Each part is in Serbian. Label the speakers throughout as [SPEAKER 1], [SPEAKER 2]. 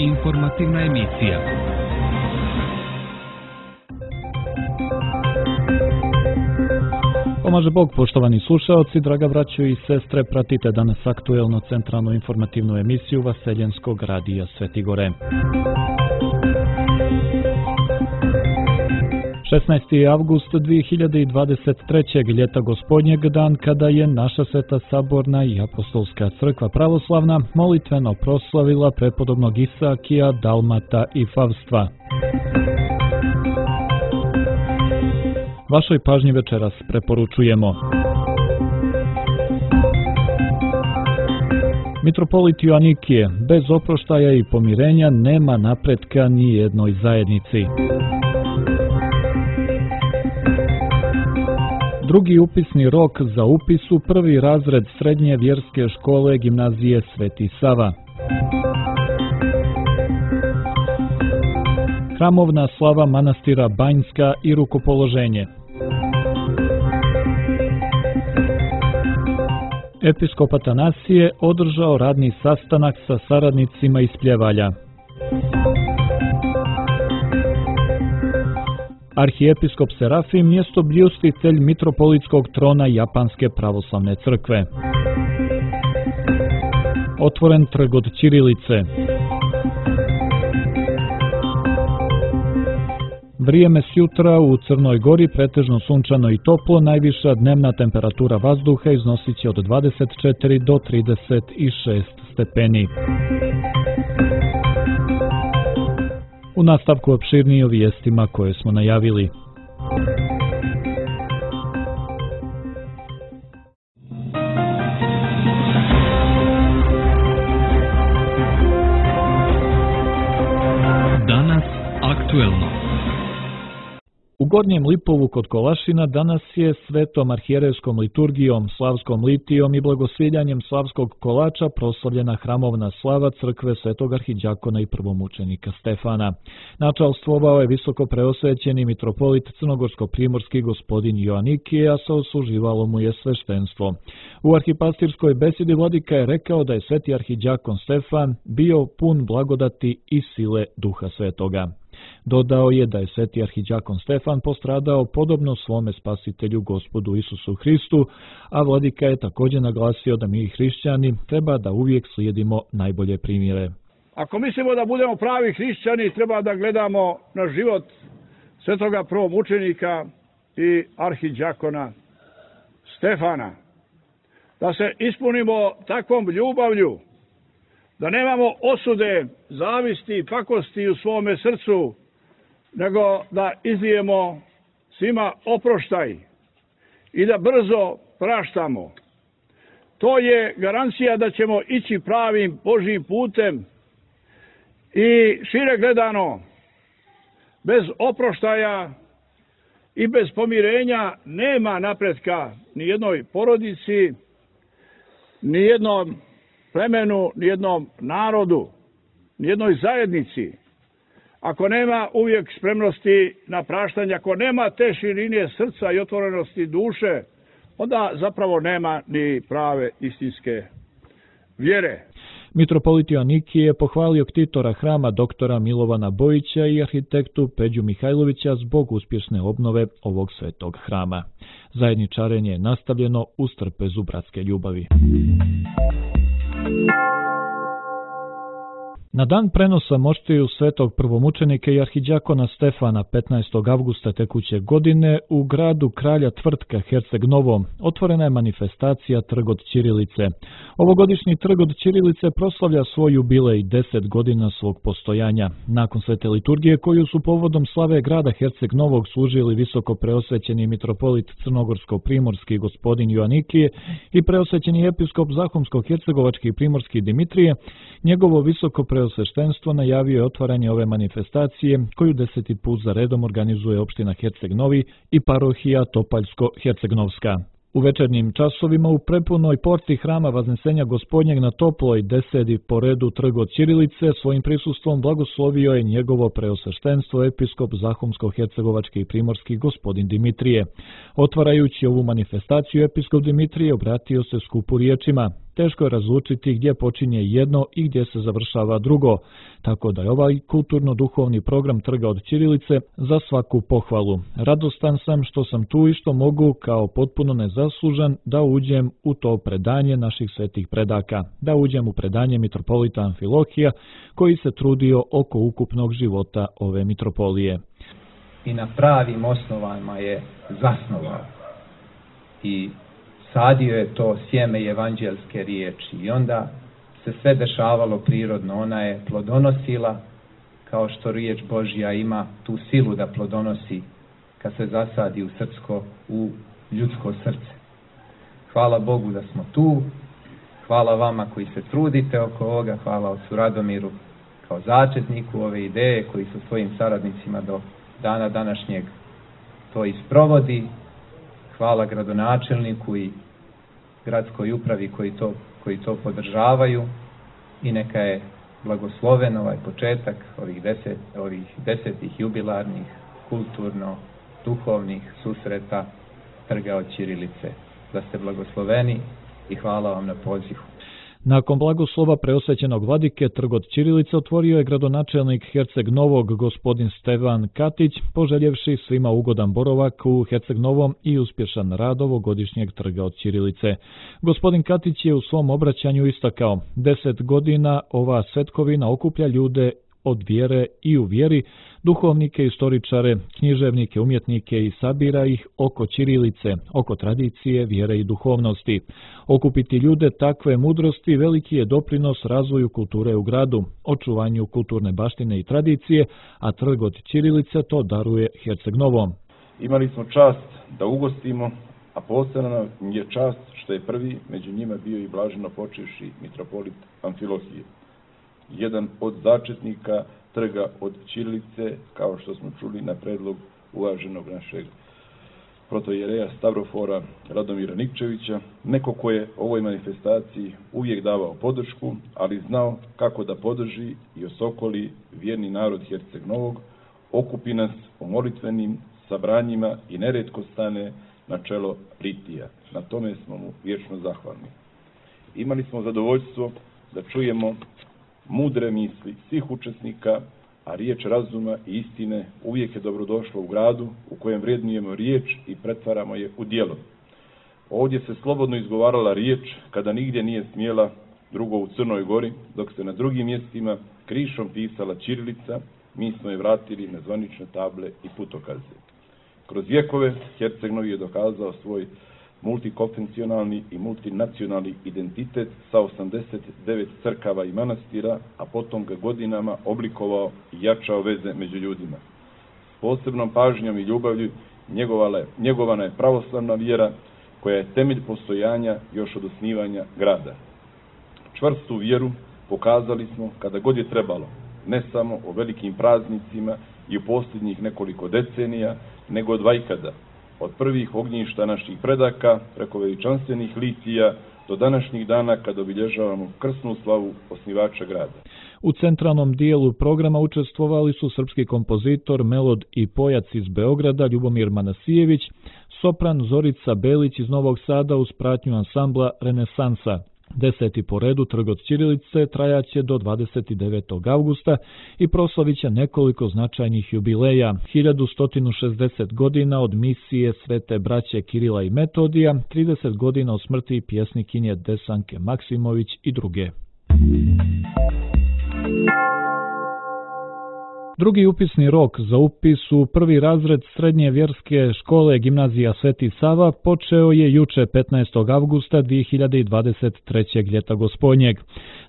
[SPEAKER 1] Informativna emisija.
[SPEAKER 2] Pomaže Bog, poštovani slušaoci, draga braćo i sestre, pratite danas aktuelno centralnu informativnu emisiju Vaseljenskog radija Svetigore. 16. avgust 2023. ljeta gospodnjeg, dan kada je naša Sveta Saborna i Apostolska crkva pravoslavna molitveno proslavila prepodobnog Isakija, Dalmata i Favstva. Vašoj pažnji večeras preporučujemo: Mitropolit Joanikije, bez oproštaja i pomirenja nema napretka ni jednoj zajednici. Drugi upisni rok za upis u prvi razred srednje vjerske škole gimnazije Sveti Sava. Hramovna slava manastira Banjska i rukopoloženje. Episkop Atanasije održao radni sastanak sa saradnicima iz Pljevalja. Arhijepiskop Serafim mjestobljustitelj mitropolitskog trona Japanske pravoslavne crkve. Otvoren trg od ćirilice. Vrijeme s jutra u Crnoj Gori pretežno sunčano i toplo, najviša dnevna temperatura vazduha iznosit će od 24 do 36 stepeni. U nastavku opširnije o vijestima koje smo najavili.
[SPEAKER 1] Danas aktuelno.
[SPEAKER 2] U Gornjem Lipovu kod Kolašina danas je svetom arhijerejskom liturgijom, slavskom litijom i blagosviljanjem slavskog kolača proslavljena hramovna slava crkve svetog arhidjakona i prvomučenika Stefana. Načalstvovao je visoko preosvećeni mitropolit crnogorsko-primorski gospodin Joanikije, a saosluživalo mu je sveštenstvo. U arhipastirskoj besedi vladika je rekao da je sveti arhidjakon Stefan bio pun blagodati i sile Duha Svetoga. Dodao je da je sveti arhidjakon Stefan postradao podobno svome spasitelju Gospodu Isusu Hristu, a vladika je također naglasio da mi hrišćani treba da uvijek slijedimo najbolje primjere.
[SPEAKER 3] Ako mislimo da budemo pravi hrišćani, treba da gledamo na život svetoga prvomučenika i arhidjakona Stefana. Da se ispunimo takvom ljubavlju, da nemamo osude, zavisti i pakosti u svome srcu, nego da izlijemo svima oproštaj i da brzo praštamo. To je garancija da ćemo ići pravim Božjim putem i šire gledano, bez oproštaja i bez pomirenja nema napretka ni jednoj porodici, ni jednom plemenu, ni jednom narodu, ni jednoj zajednici. Ako nema uvijek spremnosti na praštanje, ako nema te širine srca i otvorenosti duše, onda zapravo nema ni prave istinske vjere.
[SPEAKER 2] Mitropolit Joanikije je pohvalio ktitora hrama doktora Milovana Bojića i arhitektu Peđu Mihajlovića zbog uspješne obnove ovog svetog hrama. Zajedničarenje je nastavljeno uz trpezu bratske ljubavi. Na dan prenosa moštiju svetog prvomučenika i arhidjakona Stefana 15. avgusta tekuće godine u gradu Kralja Tvrtka Herceg Novo otvorena je manifestacija Trg od ćirilice. Ovogodišnji Trg od ćirilice proslavlja svoj jubilej 10 godina svog postojanja. Nakon svete liturgije koju su povodom slave grada Herceg Novog služili visoko preosvećeni mitropolit crnogorsko-primorski gospodin Joanikije i preosvećeni episkop zahumsko-hercegovački i primorski Dimitrije, njegovo visoko preosveštenstvo najavio je otvaranje ove manifestacije koju 10. put za redom organizuje opština Herceg Novi i parohija Topaljsko-Hercegnovska. U večernjim časovima u prepunoj porti hrama Vaznesenja Gospodnjeg na Toploj 10. po redu Trg od ćirilice svojim prisustvom blagoslovio je njegovo preosveštenstvo episkop zahumsko-hercegovački i primorski gospodin Dimitrije. Otvarajući ovu manifestaciju, episkop Dimitrije obratio se skupu riječima: teško je razlučiti gdje počinje jedno i gdje se završava drugo, tako da je ovaj kulturno-duhovni program Trga od ćirilice za svaku pohvalu. Radostan sam što sam tu i što mogu kao potpuno nezaslužan da uđem u to predanje naših svetih predaka, da uđem u predanje mitropolita Amfilohija koji se trudio oko ukupnog života ove mitropolije.
[SPEAKER 4] I na pravim osnovama je zasnovao i sadio je to sjeme evanđelske riječi i onda se sve dešavalo prirodno. Ona je plodonosila kao što riječ Božja ima tu silu da plodonosi kad se zasadi u ljudsko srce. Hvala Bogu da smo tu, hvala vama koji se trudite oko ovoga, hvala ocu Radomiru kao začetniku ove ideje koji su svojim saradnicima do dana današnjeg to isprovodi. Hvala gradonačelniku i gradskoj upravi koji to podržavaju i neka je blagosloven ovaj početak ovih desetih jubilarnih kulturno-duhovnih susreta Trga od ćirilice. Da ste blagosloveni i hvala vam na pozivu.
[SPEAKER 2] Nakon blagoslova preosvećenog vladike Trg od ćirilice otvorio je gradonačelnik Herceg Novog gospodin Stevan Katić, poželjevši svima ugodan boravak u Herceg Novom i uspješan rad ovogodišnjeg Trga od ćirilice. Gospodin Katić je u svom obraćanju istakao: 10 godina ova svetkovina okuplja ljude od vjere i u vjeri, duhovnike, istoričare, književnike, umjetnike i sabira ih oko ćirilice, oko tradicije, vjere i duhovnosti. Okupiti ljude takve mudrosti veliki je doprinos razvoju kulture u gradu, očuvanju kulturne baštine i tradicije, a Trg od ćirilice to daruje Herceg Novom.
[SPEAKER 5] Imali smo čast da ugostimo, a posebno nam je čast što je prvi među njima bio i blaženo počivši mitropolit Amfilohije, jedan od začetnika Trga od ćirilice, kao što smo čuli na predlog uvaženog našeg protojereja Stavrofora Radomira Nikčevića, neko ko je ovoj manifestaciji uvijek davao podršku, ali znao kako da podrži i osokoli vjerni narod Herceg Novog, okupi nas u molitvenim sabranjima i neretko stane na čelo litija. Na tome smo mu vječno zahvalni. Imali smo zadovoljstvo da čujemo mudre misli svih učesnika, a riječ razuma i istine uvijek je dobrodošla u gradu u kojem vrednujemo riječ i pretvaramo je u djelo. Ovdje se slobodno izgovarala riječ kada nigdje nije smjela, drugo u Crnoj Gori, dok se na drugim mjestima krišom pisala ćirilica, mi smo je vratili na zvanične table i putokaze. Kroz vjekove Herceg Novi je dokazao svoj multikonfesionalni i multinacionalni identitet sa 89 crkava i manastira, a potom ga godinama oblikovao i jačao veze među ljudima. S posebnom pažnjom i ljubavlju njegovana je pravoslavna vjera, koja je temelj postojanja još od osnivanja grada. Čvrstu vjeru pokazali smo kada god je trebalo, ne samo o velikim praznicima i u posljednjih nekoliko decenija, nego od vajkada, od prvih ognjišta naših predaka, preko veličanstvenih litija, do današnjih dana kad obilježavamo krsnu slavu osnivača grada.
[SPEAKER 2] U centralnom dijelu programa učestvovali su srpski kompozitor, melod i pojac iz Beograda Ljubomir Manasijević, sopran Zorica Belić iz Novog Sada uz pratnju ansambla Renesansa. 10. po redu Trg od ćirilice trajaće do 29. avgusta i proslavit će nekoliko značajnih jubileja: 1160 godina od misije Svete braće Kirila i Metodija, 30 godina od smrti pjesnikinje Desanke Maksimović i druge. Drugi upisni rok za upis u prvi razred srednje vjerske škole Gimnazija Sveti Sava počeo je juče 15. avgusta 2023. ljeta gospodnjeg.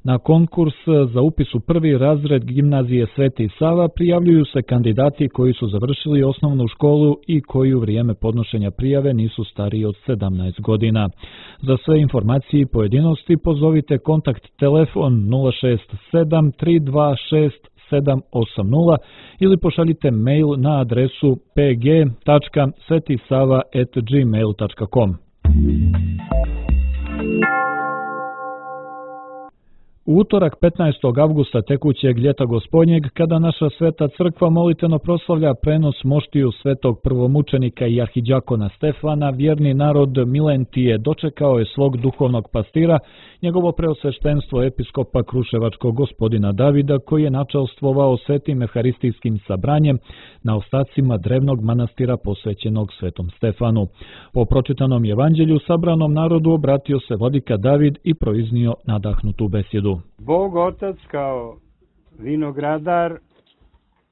[SPEAKER 2] Na konkurs za upis u prvi razred Gimnazije Sveti Sava prijavljuju se kandidati koji su završili osnovnu školu i koji u vrijeme podnošenja prijave nisu stariji od 17 godina. Za sve informacije i pojedinosti pozovite kontakt telefon 067 326 780 ili pošaljite mail na adresu pg.svetisava@gmail.com. U utorak 15. avgusta tekućeg ljeta gospodnjeg, kada naša sveta crkva molitveno proslavlja prenos moštiju svetog prvomučenika i arhidjakona Stefana, vjerni narod Milentije dočekao je svog duhovnog pastira, njegovo preosveštenstvo episkopa Kruševačkog gospodina Davida, koji je načelstvovao svetim evharistijskim sabranjem na ostacima drevnog manastira posvećenog svetom Stefanu. Po pročitanom evanđelju sabranom narodu obratio se vladika David i proiznio nadahnutu besjedu.
[SPEAKER 6] Bog Otac kao vinogradar,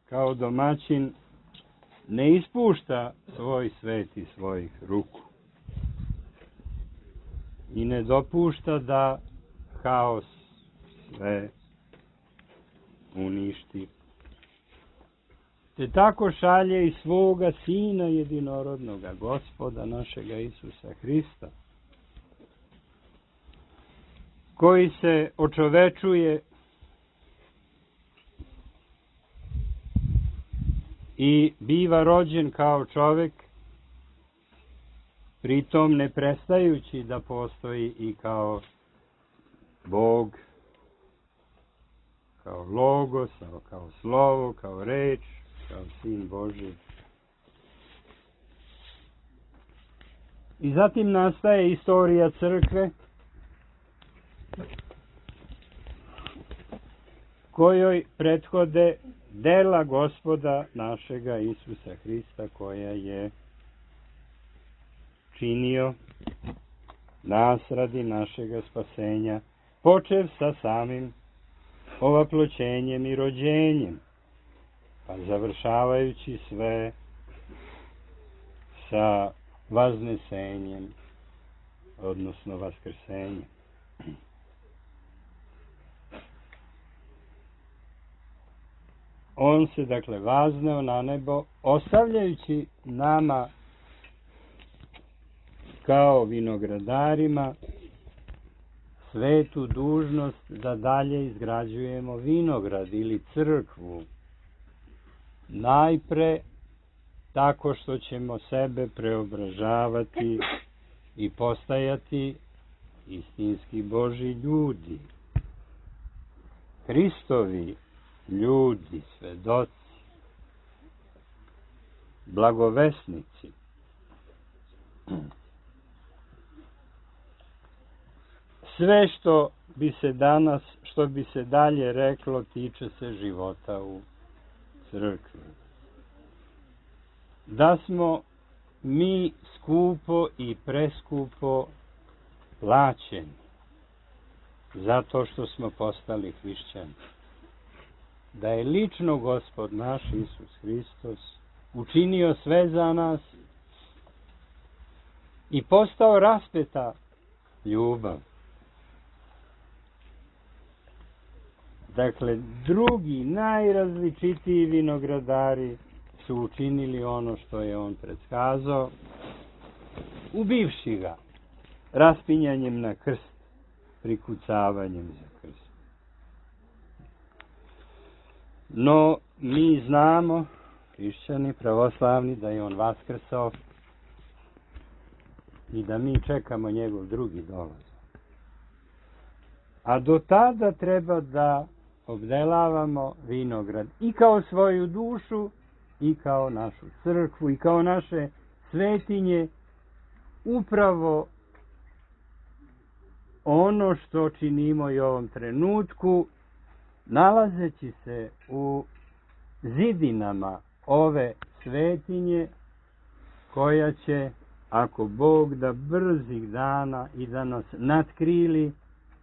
[SPEAKER 6] kao domaćin, ne ispušta svoj svet iz svojih ruku i ne dopušta da haos sve uništi. Te tako šalje i svoga Sina jedinorodnoga, Gospoda našega Isusa Hrista, koji se očovečuje i biva rođen kao čovek, pritom ne prestajući da postoji i kao Bog, kao Logos, kao Slovo, kao reč, kao Sin Božji. I zatim nastaje istorija crkve, kojoj prethode dela Gospoda našega Isusa Hrista, koja je činio nas radi našega spasenja, počev sa samim ovaploćenjem i rođenjem, pa završavajući sve sa vaznesenjem, odnosno vaskrsenjem. On se, dakle, vazneo na nebo, ostavljajući nama kao vinogradarima svetu dužnost da dalje izgrađujemo vinograd ili crkvu. Najpre tako što ćemo sebe preobražavati i postajati istinski Božji ljudi, Hristovi ljudi, svedoci, blagovesnici. Sve što bi se dalje reklo, tiče se života u crkvi. Da smo mi skupo i preskupo plaćeni zato što smo postali hrišćani. Da je lično Gospod naš Isus Hristos učinio sve za nas i postao raspeta ljubav. Dakle, drugi, najrazličitiji vinogradari su učinili ono što je on predskazao, ubivši ga raspinjanjem na krst, prikucavanjem za krst. No, mi znamo, hrišćani, pravoslavni, da je on vaskrsao i da mi čekamo njegov drugi dolazak. A do tada treba da obdelavamo vinograd i kao svoju dušu, i kao našu crkvu, i kao naše svetinje, upravo ono što činimo i u ovom trenutku, nalazeći se u zidinama ove svetinje, koja će, ako Bog da, brzih dana i da nas natkrili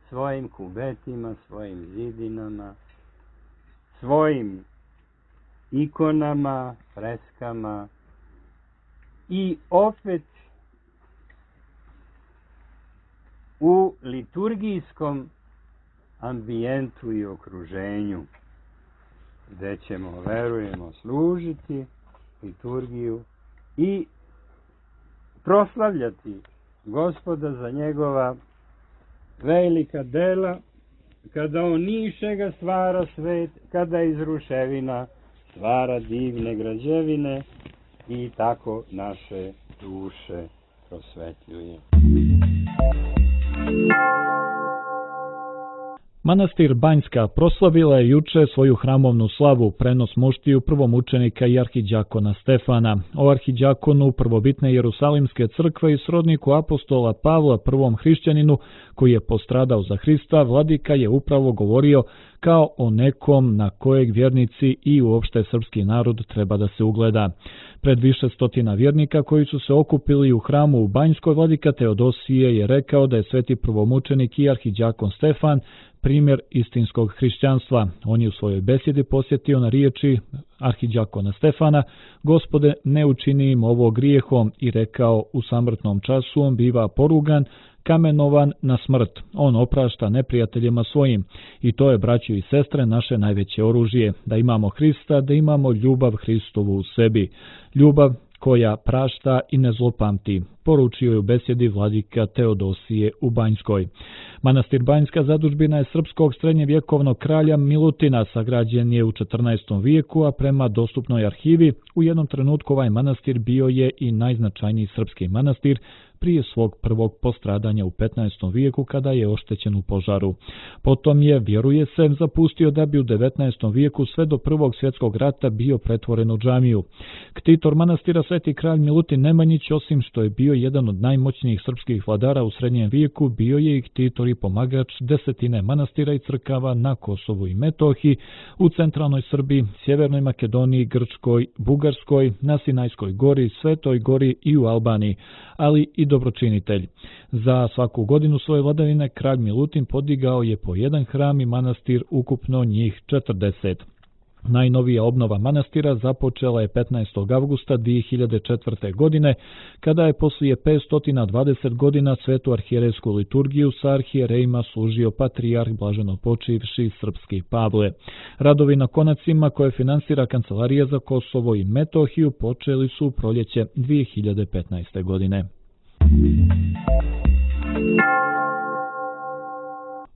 [SPEAKER 6] svojim kubetima, svojim zidinama, svojim ikonama, freskama i opet u liturgijskom ambijentu i okruženju, gde ćemo, verujemo, služiti liturgiju i proslavljati Gospoda za njegova velika dela, kada on nišega stvara svet, kada iz ruševina stvara divne građevine i tako naše duše prosvetljuje.
[SPEAKER 2] Manastir Banjska proslavila je juče svoju hramovnu slavu, prenos muštiju prvomučenika i arhidjakona Stefana. O arhidjakonu prvobitne Jerusalimske crkve i srodniku apostola Pavla, prvom hrišćaninu koji je postradao za Hrista, vladika je upravo govorio kao o nekom na kojeg vjernici i uopšte srpski narod treba da se ugleda. Pred više stotina vjernika koji su se okupili u hramu u Banjskoj, vladika Teodosije je rekao da je sveti prvomučenik i arhidjakon Stefan primjer istinskog hrišćanstva. On je u svojoj besjedi posjetio na riječi arhidjakona Stefana: Gospode, ne učini im ovo grijehom, i rekao: u samrtnom času on biva porugan, kamenovan na smrt. On oprašta neprijateljima svojim. I to je, braćo i sestre, naše najveće oružje. Da imamo Hrista, da imamo ljubav Hristovu u sebi. Ljubav koja prašta i ne zlopamti, poručio je u besjedi vladika Teodosije u Banjskoj. Manastir Banjska zadužbina je srpskog srednjevjekovnog kralja Milutina, sagrađen je u 14. vijeku, a prema dostupnoj arhivi u jednom trenutku ovaj manastir bio je i najznačajniji srpski manastir prije svog prvog postradanja u 15. vijeku kada je oštećen u požaru. Potom je, vjeruje se, zapustio da bi u 19. vijeku sve do Prvog svjetskog rata bio pretvoren u džamiju. Ktitor manastira Sveti kralj Milutin Nemanjić, osim što je bio jedan od najmoćnijih srpskih vladara u srednjem vijeku, bio je i ktitor i pomagač desetine manastira i crkava na Kosovu i Metohiji, u centralnoj Srbiji, Sjevernoj Makedoniji, Grčkoj, Bugarskoj, na Sinajskoj gori, Svetoj gori i u Albaniji, ali i dobročinitelj. Za svaku godinu svoje vladavine kralj Milutin podigao je po jedan hram i manastir, ukupno njih 40. Najnovija obnova manastira započela je 15. avgusta 2004. godine, kada je poslije 520 godina svetu arhijerejsku liturgiju sa arhijerejima služio patrijarh blaženopočivši srpski Pavle. Radovi na konacima koje finansira Kancelarija za Kosovo i Metohiju počeli su u proljeće 2015. godine.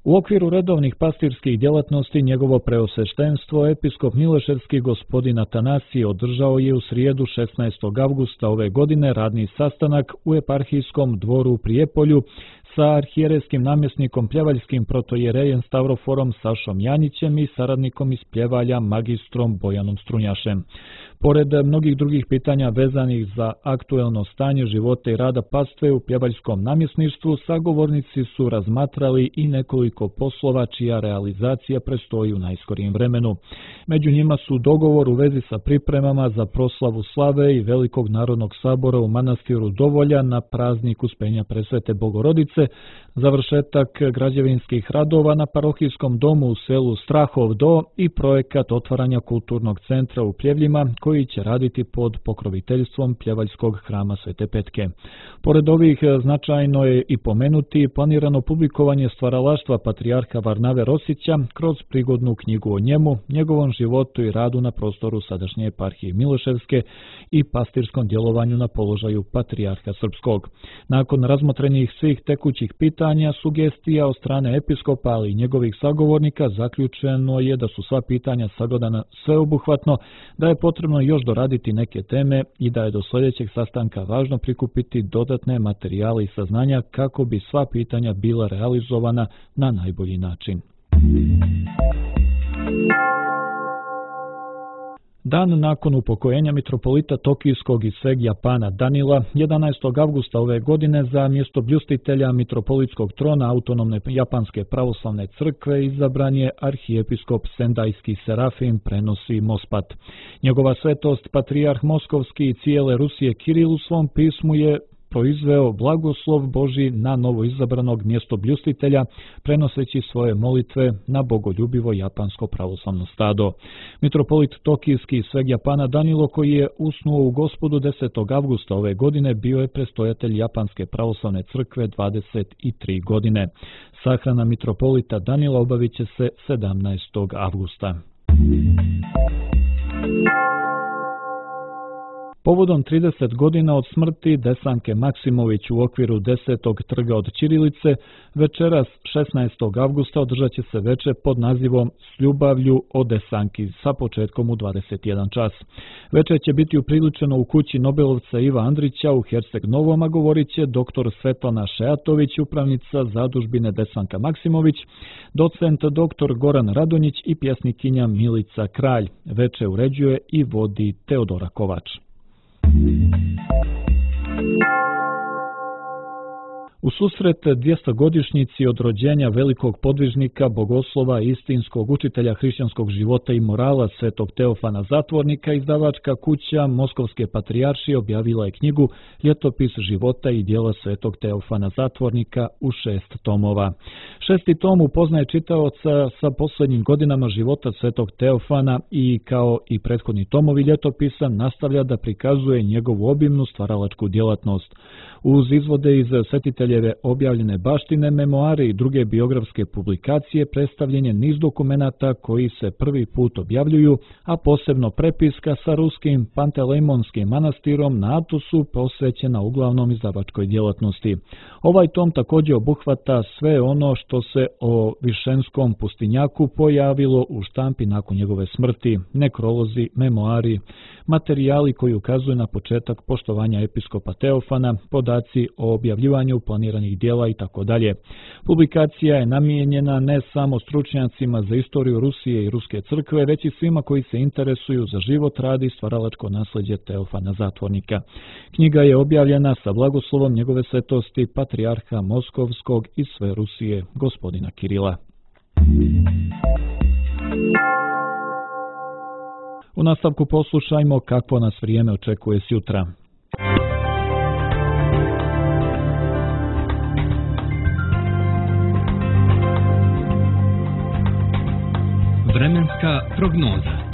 [SPEAKER 2] U okviru redovnih pastirskih djelatnosti njegovo preosveštenstvo episkop Mileševski gospodin Atanasije održao je u srijedu 16. avgusta ove godine radni sastanak u eparhijskom dvoru u Prijepolju sa arhijerejskim namjesnikom pljevaljskim protojerejem Stavroforom Sašom Janjićem i saradnikom iz Pljevalja magistrom Bojanom Strunjašem. Pored mnogih drugih pitanja vezanih za aktuelno stanje života i rada pastve u pljevaljskom namjesništvu, sagovornici su razmatrali i nekoliko poslova čija realizacija predstoji u najskorijem vremenu. Među njima su dogovor u vezi sa pripremama za proslavu slave i Velikog narodnog sabora u manastiru Dovolja na praznik Uspenja Presvete Bogorodice, završetak građevinskih radova na parohijskom domu u selu Strahov Do i projekat otvaranja kulturnog centra u Pljevljima koji će raditi pod pokroviteljstvom Pljevaljskog hrama Svete Petke. Pored ovih značajno je i pomenuti planirano publikovanje stvaralaštva patrijarha Varnave Rosića kroz prigodnu knjigu o njemu, njegovom životu i radu na prostoru sadašnje eparhije Mileševske i pastirskom djelovanju na položaju patrijarha Srpskog. Nakon razmotrenih svih tekućih pitanja, sugestija od strane episkopa, ali i njegovih sagovornika, zaključeno je da su sva pitanja sagledana sveobuhvatno, da je potrebno još doraditi neke teme i da je do sljedećeg sastanka važno prikupiti dodatne materijale i saznanja kako bi sva pitanja bila realizovana na najbolji način. Dan nakon upokojenja mitropolita Tokijskog i sveg Japana Danila, 11. avgusta ove godine za mjesto bljustitelja mitropolitskog trona autonomne japanske pravoslavne crkve izabran je arhijepiskop Sendajski Serafim Prenosi Mospat. Njegova svetost, patrijarh Moskovski i cijele Rusije Kiril u svom pismu je proizveo blagoslov Božji na novo izabranog mjestobljustitelja, prenoseći svoje molitve na bogoljubivo japansko pravoslavno stado. Mitropolit Tokijski i sveg Japana Danilo, koji je usnuo u Gospodu 10. avgusta ove godine, bio je prestojatelj japanske pravoslavne crkve 23 godine. Sahrana mitropolita Danila obavit će se 17. avgusta. Povodom 30 godina od smrti Desanke Maksimović u okviru 10. trga od Ćirilice, večeras 16. avgusta održat će se veče pod nazivom S ljubavlju o Desanki sa početkom u 21 čas. Veče će biti upriličeno u kući Nobelovca Iva Andrića u Herceg Novom, a govorit će dr. Svetlana Šejatović, upravnica zadužbine Desanka Maksimović, docent dr. Goran Radonjić i pjesnikinja Milica Kralj. Veče uređuje i vodi Teodora Kovač. U susret 200-godišnjici od rođenja velikog podvižnika, bogoslova i istinskog učitelja hrišćanskog života i morala Svetog Teofana Zatvornika, izdavačka kuća Moskovske patrijaršije objavila je knjigu Ljetopis života i djela Svetog Teofana Zatvornika u 6 tomova. 6. tom upoznaje čitaoca sa posljednjim godinama života Svetog Teofana i, kao i prethodni tomovi ljetopisa, nastavlja da prikazuje njegovu obimnu stvaralačku djelatnost. Uz izvode iz svetiteljeve objavljene baštine, memoare i druge biografske publikacije predstavljen je niz dokumenata koji se prvi put objavljuju, a posebno prepiska sa ruskim Pantelejmonskim manastirom na Atosu posvećena uglavnom izdavačkoj djelatnosti. Ovaj tom također obuhvata sve ono što se o Višenskom pustinjaku pojavilo u štampi nakon njegove smrti, nekrolozi, memoari, materijali koji ukazuju na početak poštovanja episkopa Teofana, podaci o objavljivanju planiranih dijela itd. Publikacija je namijenjena ne samo stručnjacima za istoriju Rusije i Ruske crkve, već i svima koji se interesuju za život, rad i stvaralačko nasljeđe Teofana Zatvornika. Knjiga je objavljena sa blagoslovom njegove svetosti patrijarha Moskovskog i sve Rusije, gospodina Kirila. U nastavku poslušajmo kakvo nas vrijeme očekuje sjutra.
[SPEAKER 1] Vremenska prognoza.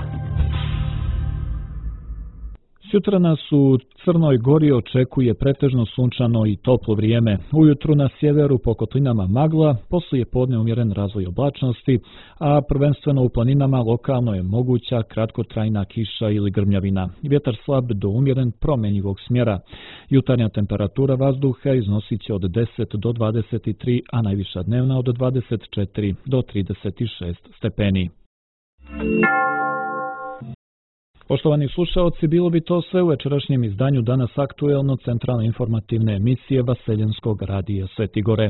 [SPEAKER 2] Sutra nas u Crnoj Gori očekuje pretežno sunčano i toplo vrijeme. Ujutru na sjeveru po kotlinama magla, poslije podne umjeren razvoj oblačnosti, a prvenstveno u planinama lokalno je moguća kratkotrajna kiša ili grmljavina. Vjetar slab do umjeren promjenjivog smjera. Jutarnja temperatura vazduha iznosit će od 10 do 23, a najviša dnevna od 24 do 36 stepeni. Poštovani slušaoci, bilo bi to sve u večerašnjem izdanju Danas aktuelno centralne informativne emisije Vaseljenskog radija Sveti Gore.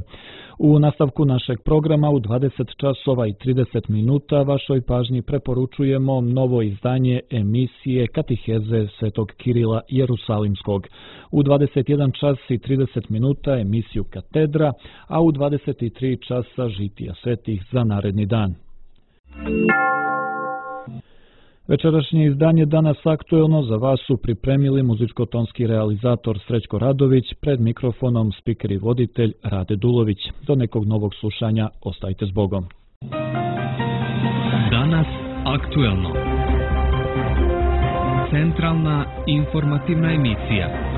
[SPEAKER 2] U nastavku našeg programa u 20 časova i 30 minuta vašoj pažnji preporučujemo novo izdanje emisije Katiheze Svetog Kirila Jerusalimskog. U 21 čas i 30 minuta emisiju Katedra, a u 23 časa Žitija svetih za naredni dan. Večerašnje izdanje Danas aktuelno za vas su pripremili muzičko-tonski realizator Srećko Radović, pred mikrofonom spiker i voditelj Rade Dulović. Do nekog novog slušanja, ostajte s Bogom.
[SPEAKER 1] Danas aktuelno. Centralna informativna emisija.